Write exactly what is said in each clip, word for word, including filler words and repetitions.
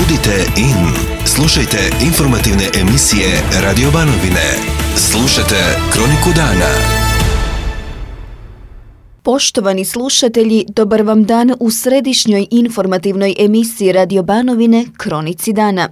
Budite in. Slušajte informativne emisije Radio Banovine. Slušajte Kroniku dana. Poštovani slušatelji, dobar vam dan u središnjoj informativnoj emisiji Radio Banovine Kronici dana.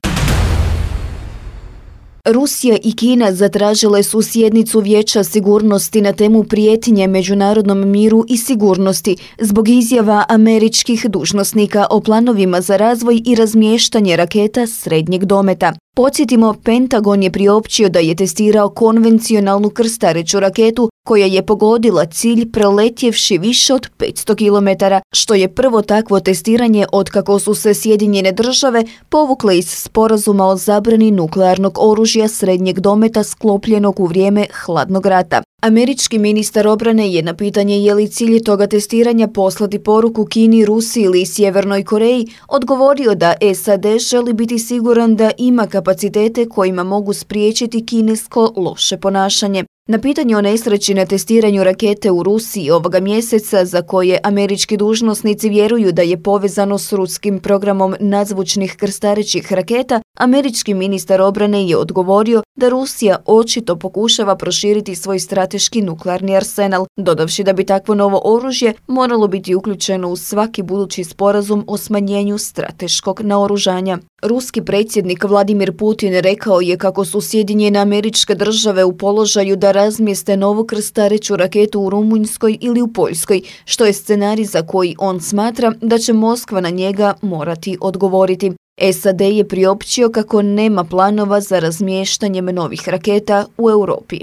Rusija i Kina zatražile su sjednicu Vijeća sigurnosti na temu prijetnje međunarodnom miru i sigurnosti zbog izjava američkih dužnosnika o planovima za razvoj i razmještanje raketa srednjeg dometa. Podsjetimo, Pentagon je priopćio da je testirao konvencionalnu krstareću raketu koja je pogodila cilj preletjevši više od petsto kilometara, što je prvo takvo testiranje otkako su se Sjedinjene države povukle iz sporazuma o zabrani nuklearnog oružja srednjeg dometa sklopljenog u vrijeme hladnog rata. Američki ministar obrane je na pitanje je li cilj toga testiranja poslati poruku Kini, Rusiji ili Sjevernoj Koreji odgovorio da S A D želi biti siguran da ima kapacitete kojima mogu spriječiti kinesko loše ponašanje. Na pitanje o nesreći na testiranju rakete u Rusiji ovoga mjeseca, za koje američki dužnosnici vjeruju da je povezano s ruskim programom nadzvučnih krstarećih raketa, američki ministar obrane je odgovorio da Rusija očito pokušava proširiti svoj strateški nuklearni arsenal, dodavši da bi takvo novo oružje moralo biti uključeno u svaki budući sporazum o smanjenju strateškog naoružanja. Ruski predsjednik Vladimir Putin rekao je kako su Sjedinjene Američke Države u položaju da razmjeste novu krstareću raketu u Rumunjskoj ili u Poljskoj, što je scenarij za koji on smatra da će Moskva na njega morati odgovoriti. S A D je priopćio kako nema planova za razmještanjem novih raketa u Europi.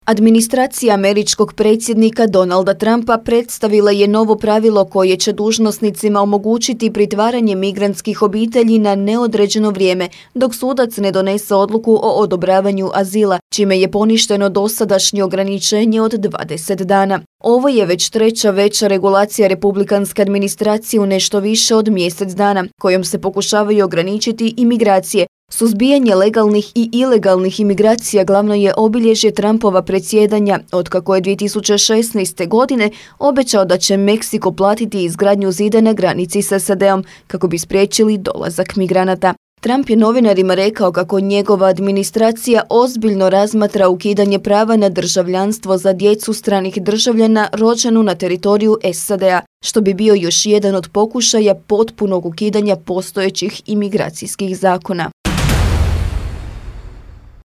Administracija američkog predsjednika Donalda Trumpa predstavila je novo pravilo koje će dužnosnicima omogućiti pritvaranje migrantskih obitelji na neodređeno vrijeme dok sudac ne donese odluku o odobravanju azila, čime je poništeno dosadašnje ograničenje od dvadeset dana. Ovo je već treća veća regulacija republikanske administracije u nešto više od mjesec dana, kojom se pokušavaju ograničiti imigracije. Suzbijanje legalnih i ilegalnih imigracija glavno je obilježje Trumpova predsjedanja, otkako je dvije tisuće šesnaeste. godine obećao da će Meksiko platiti izgradnju zida na granici s S A D-om kako bi spriječili dolazak migranata. Trump je novinarima rekao kako njegova administracija ozbiljno razmatra ukidanje prava na državljanstvo za djecu stranih državljana rođenu na teritoriju S A D-a, što bi bio još jedan od pokušaja potpunog ukidanja postojećih imigracijskih zakona.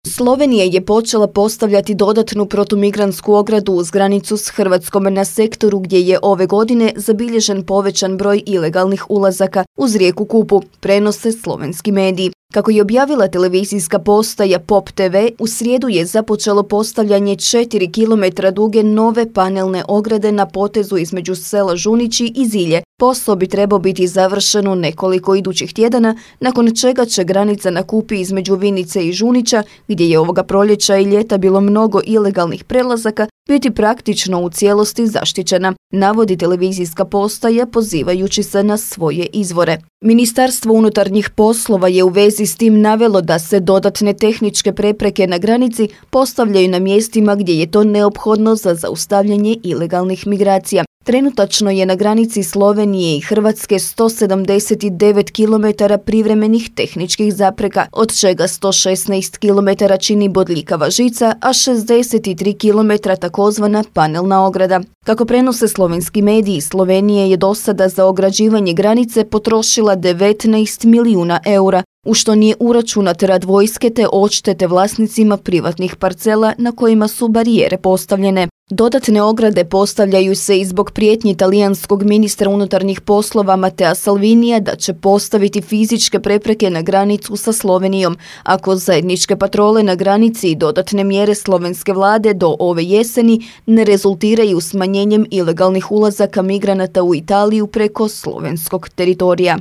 Slovenija je počela postavljati dodatnu protumigrantsku ogradu uz granicu s Hrvatskom na sektoru gdje je ove godine zabilježen povećan broj ilegalnih ulazaka uz rijeku Kupu, prenose slovenski mediji. Kako je objavila televizijska postaja Pop T V, u srijedu je započelo postavljanje četiri kilometra duge nove panelne ograde na potezu između sela Žunići i Zilje. Posao bi trebao biti završen u nekoliko idućih tjedana, nakon čega će granica na Kupi između Vinice i Žunića, gdje je ovoga proljeća i ljeta bilo mnogo ilegalnih prelazaka, biti praktično u cijelosti zaštićena, navodi televizijska postaja pozivajući se na svoje izvore. Ministarstvo unutarnjih poslova je u vezi s tim navelo da se dodatne tehničke prepreke na granici postavljaju na mjestima gdje je to neophodno za zaustavljanje ilegalnih migracija. Trenutačno je na granici Slovenije i Hrvatske sto sedamdeset devet kilometara privremenih tehničkih zapreka, od čega sto šesnaest kilometara čini bodljikava žica, a šezdeset tri kilometra takozvana panelna ograda. Kako prenose slovenski mediji, Slovenija je do sada za ograđivanje granice potrošila devetnaest milijuna eura, u što nije uračunat rad vojske te odštete vlasnicima privatnih parcela na kojima su barijere postavljene. Dodatne ograde postavljaju se i zbog prijetnji talijanskog ministra unutarnjih poslova Matea Salvinija da će postaviti fizičke prepreke na granicu sa Slovenijom, ako zajedničke patrole na granici i dodatne mjere slovenske vlade do ove jeseni ne rezultiraju smanjenjem ilegalnih ulazaka migranata u Italiju preko slovenskog teritorija.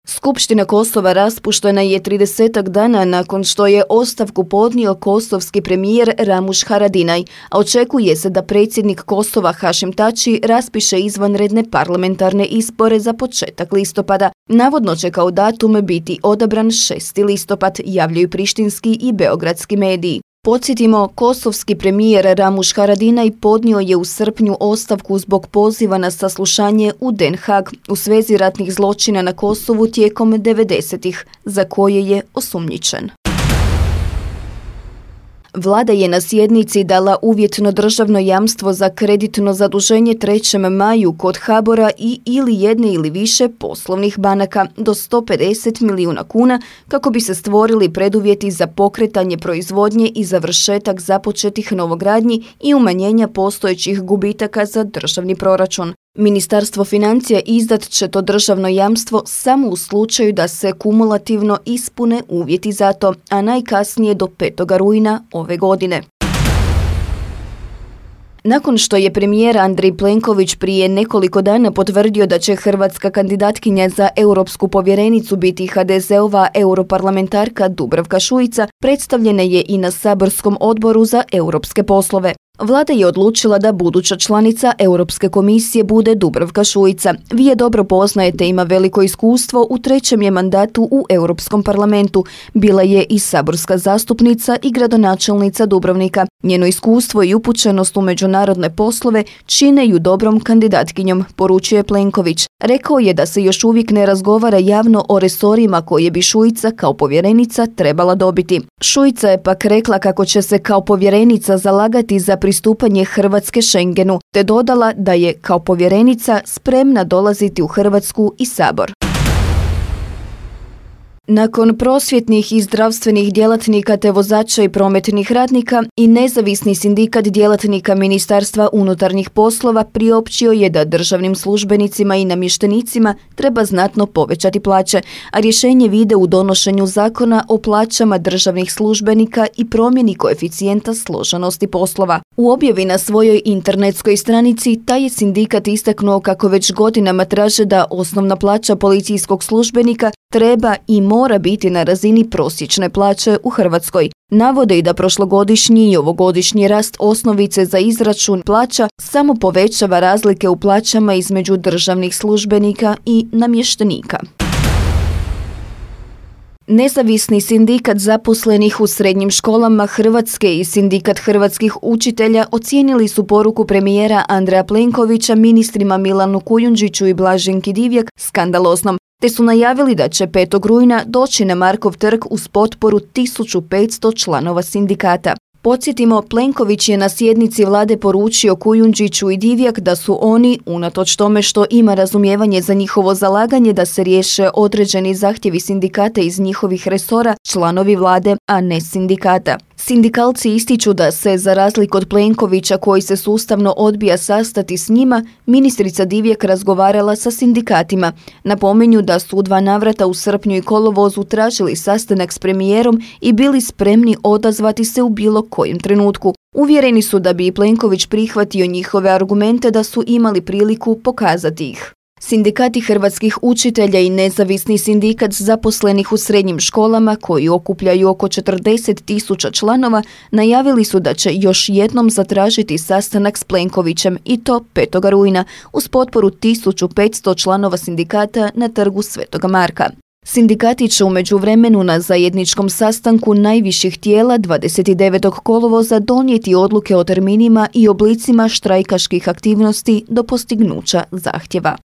Skupština Kosova raspuštena je tridesetak dana nakon što je ostavku podnio kosovski premijer Ramuš Haradinaj, a očekuje se da predsjednik Kosova Hašim Tači raspiše izvanredne parlamentarne izbore za početak listopada. Navodno će kao datum biti odabran šesti listopad, javljaju prištinski i beogradski mediji. Podsjetimo, kosovski premijer Ramuš Haradinaj podnio je u srpnju ostavku zbog poziva na saslušanje u Den Haag u svezi ratnih zločina na Kosovu tijekom devedesetih, za koje je osumnjičen. Vlada je na sjednici dala uvjetno državno jamstvo za kreditno zaduženje trećem maju kod ha bora i ili jedne ili više poslovnih banaka do sto pedeset milijuna kuna kako bi se stvorili preduvjeti za pokretanje proizvodnje i završetak započetih novogradnji i umanjenja postojećih gubitaka za državni proračun. Ministarstvo financija izdat će to državno jamstvo samo u slučaju da se kumulativno ispune uvjeti za to, a najkasnije do petog rujna ove godine. Nakon što je premijer Andrej Plenković prije nekoliko dana potvrdio da će hrvatska kandidatkinja za europsku povjerenicu biti ha de zeova europarlamentarka Dubravka Šuica, predstavljena je i na saborskom odboru za europske poslove. Vlada je odlučila da buduća članica Europske komisije bude Dubravka Šuica. Vi je dobro poznajete, ima veliko iskustvo, u trećem je mandatu u Europskom parlamentu. Bila je i saborska zastupnica i gradonačelnica Dubrovnika. Njeno iskustvo i upućenost u međunarodne poslove čine ju dobrom kandidatkinjom, poručuje Plenković. Rekao je da se još uvijek ne razgovara javno o resorima koje bi Šuica kao povjerenica trebala dobiti. Šuica je pak rekla kako će se kao povjerenica zalagati za pristupanje Hrvatske Schengenu, te dodala da je kao povjerenica spremna dolaziti u Hrvatsku i Sabor. Nakon prosvjetnih i zdravstvenih djelatnika te vozača i prometnih radnika i nezavisni sindikat djelatnika Ministarstva unutarnjih poslova priopćio je da državnim službenicima i namještenicima treba znatno povećati plaće, a rješenje vide u donošenju zakona o plaćama državnih službenika i promjeni koeficijenta složenosti poslova. U objavi na svojoj internetskoj stranici taj je sindikat istaknuo kako već godinama traže da osnovna plaća policijskog službenika treba i mora biti na razini prosječne plaće u Hrvatskoj. Navode i da prošlogodišnji i ovogodišnji rast osnovice za izračun plaća samo povećava razlike u plaćama između državnih službenika i namještenika. Nezavisni sindikat zaposlenih u srednjim školama Hrvatske i sindikat hrvatskih učitelja ocijenili su poruku premijera Andreja Plenkovića ministrima Milanu Kujundžiću i Blaženki Divjak skandaloznom, te su najavili da će petog rujna doći na Markov trg uz potporu tisuću petsto članova sindikata. Podsjetimo, Plenković je na sjednici vlade poručio Kujundžiću i Divjak da su oni, unatoč tome što ima razumijevanje za njihovo zalaganje da se riješe određeni zahtjevi sindikata iz njihovih resora, članovi vlade, a ne sindikata. Sindikalci ističu da se, za razliku od Plenkovića koji se sustavno odbija sastati s njima, ministrica Divjak razgovarala sa sindikatima. Napominju da su u dva navrata u srpnju i kolovozu tražili sastanak s premijerom i bili spremni odazvati se u bilo kojem trenutku. Uvjereni su da bi i Plenković prihvatio njihove argumente da su imali priliku pokazati ih. Sindikati hrvatskih učitelja i nezavisni sindikat zaposlenih u srednjim školama, koji okupljaju oko četrdeset tisuća članova, najavili su da će još jednom zatražiti sastanak s Plenkovićem i to petog rujna uz potporu tisuću petsto članova sindikata na trgu Svetoga Marka. Sindikati će u međuvremenu na zajedničkom sastanku najviših tijela dvadeset devetog kolovoza donijeti odluke o terminima i oblicima štrajkaških aktivnosti do postignuća zahtjeva.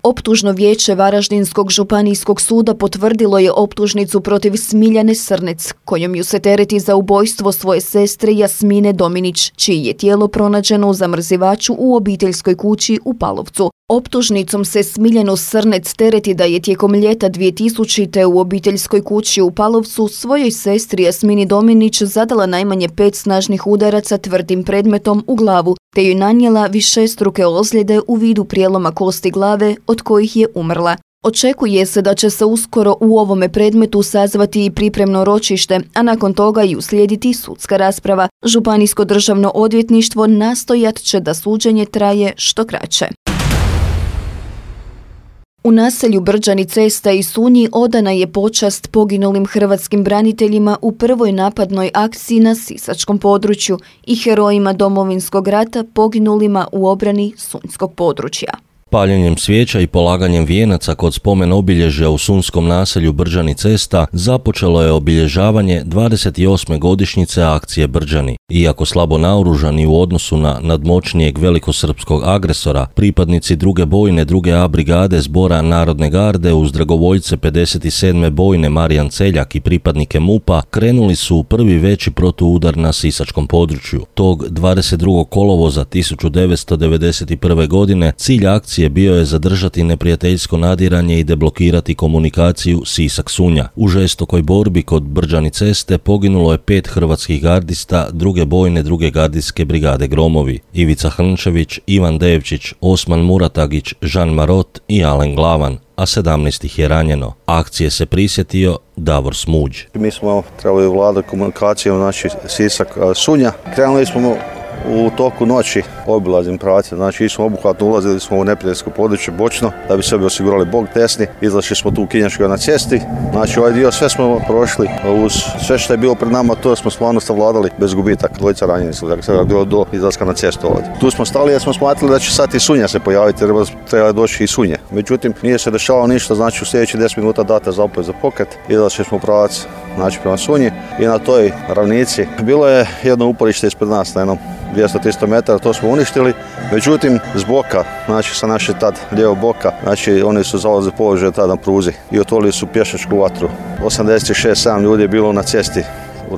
Optužno vijeće Varaždinskog županijskog suda potvrdilo je optužnicu protiv Smiljane Srnec, kojom ju se tereti za ubojstvo svoje sestre Jasmine Dominić, čije je tijelo pronađeno u zamrzivaču u obiteljskoj kući u Palovcu. Optužnicom se Smiljanu Srnec tereti da je tijekom ljeta dvije tisućite. u obiteljskoj kući u Palovcu svojoj sestri Jasmini Dominić zadala najmanje pet snažnih udaraca tvrdim predmetom u glavu, te joj nanijela višestruke ozljede u vidu prijeloma kosti glave, od kojih je umrla. Očekuje se da će se uskoro u ovome predmetu sazvati i pripremno ročište, a nakon toga i uslijediti sudska rasprava. Županijsko državno odvjetništvo nastojat će da suđenje traje što kraće. U naselju Brđani Cesta i Sunji odana je počast poginulim hrvatskim braniteljima u prvoj napadnoj akciji na sisačkom području i herojima Domovinskog rata poginulima u obrani Sunjskog područja. Paljenjem svijeća i polaganjem vijenaca kod spomen obilježja u sunskom naselju Brđani cesta započelo je obilježavanje dvadeset osme godišnjice akcije Brđani. Iako slabo naoružani u odnosu na nadmoćnijeg velikosrpskog agresora, pripadnici druge bojne druge A brigade Zbora Narodne garde uz dragovoljce pedeset sedme bojne Marijan Celjak i pripadnike MUP-a krenuli su u prvi veći protuudar na sisačkom području. Tog dvadeset drugog kolovoza tisuću devetsto devedeset prve. godine cilj akcije bio je zadržati neprijateljsko nadiranje i deblokirati komunikaciju Sisak-Sunja. U žestokoj borbi kod Brđani ceste poginulo je pet hrvatskih gardista druge bojne druge gardijske brigade Gromovi: Ivica Hrnčević, Ivan Devčić, Osman Muratagić, Žan Marot i Alen Glavan, a sedamnaest ih je ranjeno. Akcije se prisjetio Davor Smuđ. Mi smo trebali vladati komunikacijom, znači Sisak-Sunja. Krenuli smo u toku noći obilaznim pravcem, znači smo obuhvatno ulazili smo u neprijateljsko područje bočno da bi sebi osigurali bog tesni. Izašli smo tu u Kinjačkoj na cesti, znači ovaj dio sve smo prošli, uz sve što je bilo pred nama to smo stvarno savladali bez gubitaka. Dvojica ranjeni su, dakle je bilo do izlaska na cestu ovdje. Tu smo stali jer smo smatrali da će sad i Sunja se pojaviti, treba, treba doći i Sunje. Međutim, nije se dešavalo ništa, znači u sljedećih deset minuta data zapoj za pokret, izašli smo u pravac, znači prema Sunji i na toj ravnici bilo je jedno uporište ispred nas na jednom dvjesto do tristo metara, to smo uništili. Međutim, s boka, znači sa naše tad lijevo boka, znači oni su zauzeli položaj tada na pruzi i otvorili su pješačku vatru. osamdeset šest sedam ljudi je bilo na cesti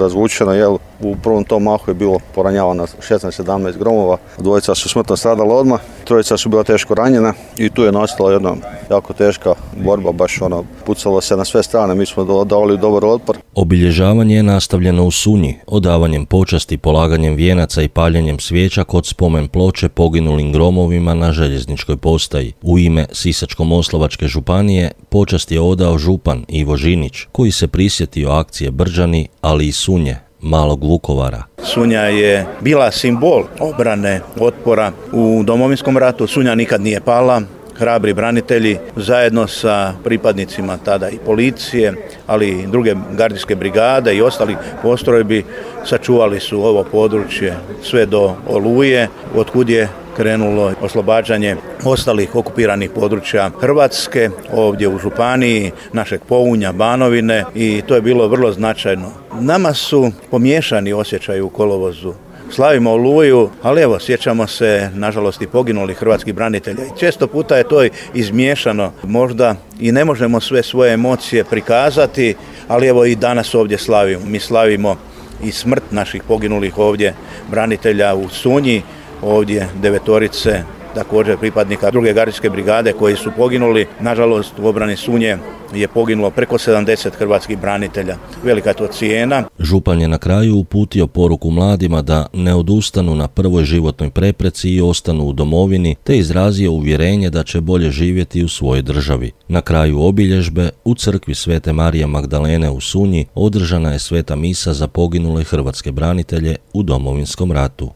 razvučeno, jel u prvom tom mahu je bilo poranjavano šesnaest sedamnaest gromova, dvojica su smrtno stradala odmah, trojica su bila teško ranjena i tu je nastala jedna jako teška borba, baš ono, pucalo se na sve strane, mi smo dali dobar otpor. Obilježavanje je nastavljeno u Sunji, odavanjem počasti, polaganjem vijenaca i paljenjem svijeća kod spomen ploče poginulim gromovima na željezničkoj postaji. U ime Sisačko-moslavačke županije počast je odao župan Ivo Žinić, koji se prisjetio akcije Brđani, ali i Sunje, Malog Vukovara. Sunja je bila simbol obrane, otpora u Domovinskom ratu. Sunja nikad nije pala. Hrabri branitelji zajedno sa pripadnicima tada i policije, ali i druge gardijske brigade i ostalih postrojbi sačuvali su ovo područje sve do Oluje, otkud je krenulo oslobađanje ostalih okupiranih područja Hrvatske, ovdje u županiji, našeg Pounja, Banovine, i to je bilo vrlo značajno. Nama su pomiješani osjećaji u kolovozu. Slavimo Oluju, ali evo, sjećamo se, nažalost, i poginulih hrvatskih branitelja. I često puta je to izmiješano, možda i ne možemo sve svoje emocije prikazati, ali evo i danas ovdje slavimo. Mi slavimo i smrt naših poginulih ovdje branitelja u Sunji, ovdje devetorice, također pripadnika druge gardijske brigade koji su poginuli. Nažalost, u obrani Sunje je poginulo preko sedamdeset hrvatskih branitelja. Velika je to cijena. Župan je na kraju uputio poruku mladima da ne odustanu na prvoj životnoj prepreci i ostanu u domovini, te izrazio uvjerenje da će bolje živjeti u svojoj državi. Na kraju obilježbe u crkvi Svete Marije Magdalene u Sunji održana je sveta misa za poginule hrvatske branitelje u Domovinskom ratu.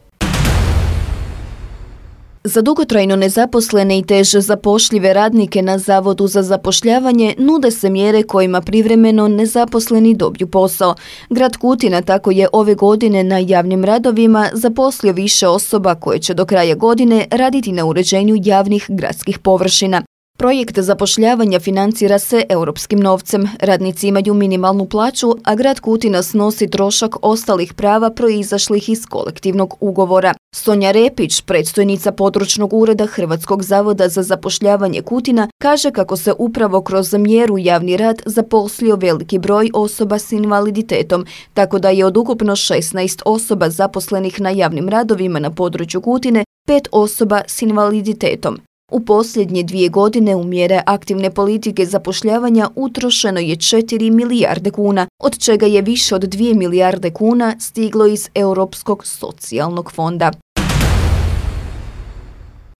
Za dugotrajno nezaposlene i teže zapošljive radnike na Zavodu za zapošljavanje nude se mjere kojima privremeno nezaposleni dobiju posao. Grad Kutina tako je ove godine na javnim radovima zaposlio više osoba koje će do kraja godine raditi na uređenju javnih gradskih površina. Projekt zapošljavanja financira se europskim novcem. Radnici imaju minimalnu plaću, a grad Kutina snosi trošak ostalih prava proizašlih iz kolektivnog ugovora. Sonja Repić, predstojnica područnog ureda Hrvatskog zavoda za zapošljavanje Kutina, kaže kako se upravo kroz mjeru javni rad zaposlio veliki broj osoba s invaliditetom, tako da je od ukupno šesnaest osoba zaposlenih na javnim radovima na području Kutine, pet osoba s invaliditetom. U posljednje dvije godine u mjere aktivne politike zapošljavanja utrošeno je četiri milijarde kuna, od čega je više od dvije milijarde kuna stiglo iz Europskog socijalnog fonda.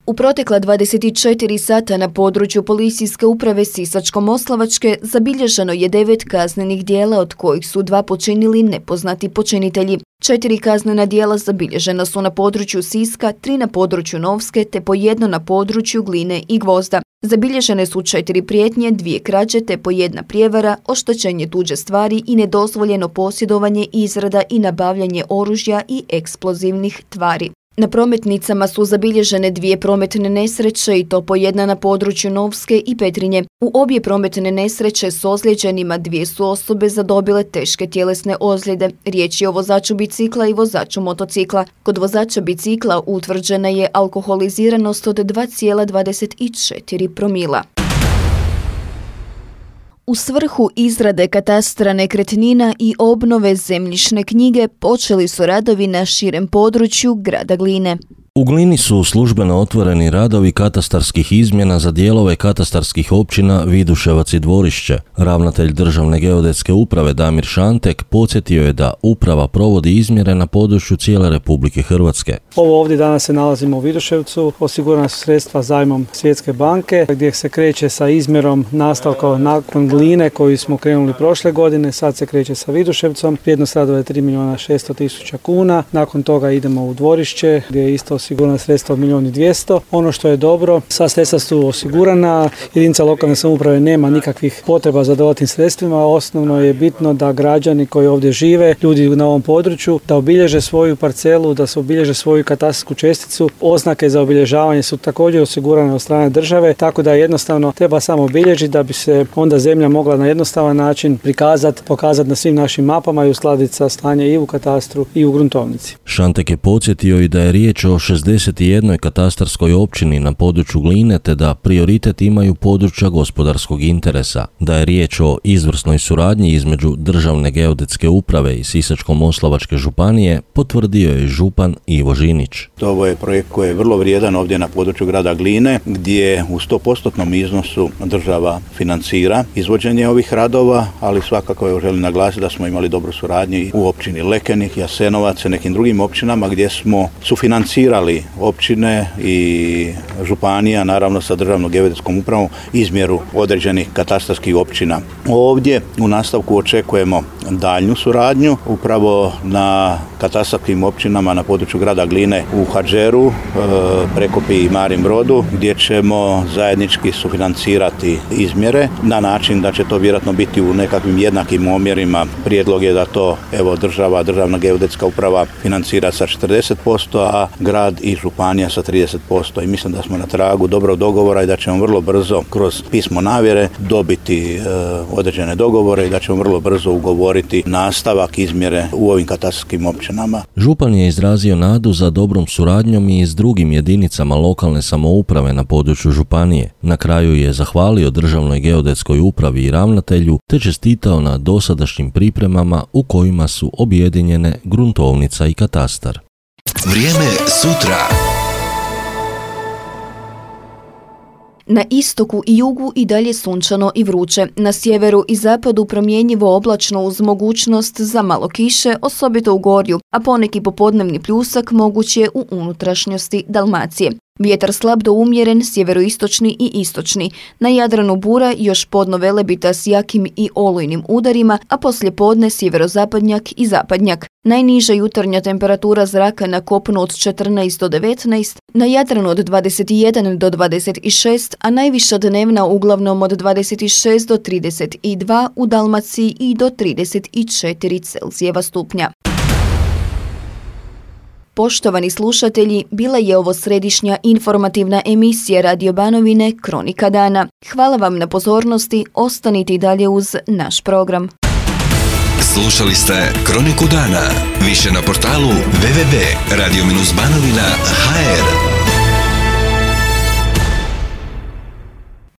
U protekla dvadeset četiri sata na području policijske uprave Sisačko-moslavačke zabilježeno je devet kaznenih djela, od kojih su dva počinili nepoznati počinitelji. Četiri kaznena djela zabilježena su na području Siska, tri na području Novske te po jedno na području Gline i Gvozda. Zabilježene su četiri prijetnje, dvije krađe te po jedna prijevara, oštećenje tuđe stvari i nedozvoljeno posjedovanje, izrada i nabavljanje oružja i eksplozivnih tvari. Na prometnicama su zabilježene dvije prometne nesreće i to po jedna na području Novske i Petrinje. U obje prometne nesreće s ozlijeđenima dvije su osobe zadobile teške tjelesne ozljede. Riječ je o vozaču bicikla i vozaču motocikla. Kod vozača bicikla utvrđena je alkoholiziranost od dva zarez dvadeset četiri promila. U svrhu izrade katastra nekretnina i obnove zemljišne knjige počeli su radovi na širem području grada Gline. U Glini su službeno otvoreni radovi katastarskih izmjena za dijelove katastarskih općina Viduševac i Dvorišće. Ravnatelj Državne geodetske uprave Damir Šantek podsjetio je da uprava provodi izmjere na području cijele Republike Hrvatske. Ovo ovdje danas se nalazimo u Viduševcu, osigurana su sredstva zajmom Svjetske banke gdje se kreće sa izmjerom nastavka nakon Gline koju smo krenuli prošle godine, sad se kreće sa Viduševcom, vrijednost radova je tri milijuna šesto tisuća kuna, nakon toga idemo u Dvorišće gdje je isto osigurana sredstva od milijun i dvjesto. Ono što je dobro, sva sredstva su osigurana, jedinica lokalne samouprave nema nikakvih potreba za dodatnim sredstvima, osnovno je bitno da građani koji ovdje žive, ljudi na ovom području, da obilježe svoju parcelu, da se obilježe svoju katastarsku česticu. Oznake za obilježavanje su također osigurane od strane države, tako da jednostavno treba samo obilježiti da bi se onda zemlja mogla na jednostavan način prikazati, pokazati na svim našim mapama i uskladiti sa stanje i u katastru i u gruntovnici. Šantek je podsjetio i da je riječ o šezdeset jednoj katastarskoj općini na području Gline te da prioritet imaju područja gospodarskog interesa. Da je riječ o izvrsnoj suradnji između Državne geodetske uprave i Sisačko-moslavačke županije potvrdio je župan Ivo Žinić. Ovo je projekt koji je vrlo vrijedan ovdje na području grada Gline gdje u sto postotnom iznosu država financira izvođenje ovih radova, ali svakako je želim naglasiti da smo imali dobru suradnju u općini Lekenik, Jasenovac i nekim drugim općinama gdje smo sufinancirali općine i županija, naravno sa Državnom geodetskom upravom, izmjeru određenih katastarskih općina. Ovdje u nastavku očekujemo daljnju suradnju upravo na katastarskim općinama na području grada Gline u Hadžeru, Prekopi i Marim Brodu, gdje ćemo zajednički sufinancirati izmjere na način da će to vjerojatno biti u nekakvim jednakim omjerima. Prijedlog je da to evo država, Državna geodetska uprava financira sa četrdeset posto, a grad i županija sa trideset posto. I mislim da smo na tragu dobrog dogovora i da ćemo vrlo brzo kroz pismo namjere dobiti e, određene dogovore i da ćemo vrlo brzo ugovoriti nastavak izmjere u ovim katastarskim općinama. Župan je izrazio nadu za dobrom suradnjom i s drugim jedinicama lokalne samouprave na području županije. Na kraju je zahvalio Državnoj geodetskoj upravi i ravnatelju te čestitao na dosadašnjim pripremama u kojima su objedinjene gruntovnica i katastar. Vrijeme sutra. Na istoku i jugu i dalje sunčano i vruće. Na sjeveru i zapadu promjenjivo oblačno uz mogućnost za malo kiše, osobito u gorju, a poneki popodnevni pljusak moguć je u unutrašnjosti Dalmacije. Vjetar slab do umjeren, sjeveroistočni i istočni. Na Jadranu bura još podno Velebita s jakim i olujnim udarima, a poslije podne sjeverozapadnjak i zapadnjak. Najniža jutarnja temperatura zraka na kopnu od četrnaest do devetnaest, na Jadranu od dvadeset jedan do dvadeset šest, a najviša dnevna uglavnom od dvadeset šest do trideset dva, u Dalmaciji i do trideset četiri Celzijeva stupnja. Poštovani slušatelji, bila je ovo središnja informativna emisija Radio Banovine Kronika dana. Hvala vam na pozornosti, ostanite i dalje uz naš program. Slušali ste Kroniku dana. Više na portalu w w w tačka radio banovina tačka h r.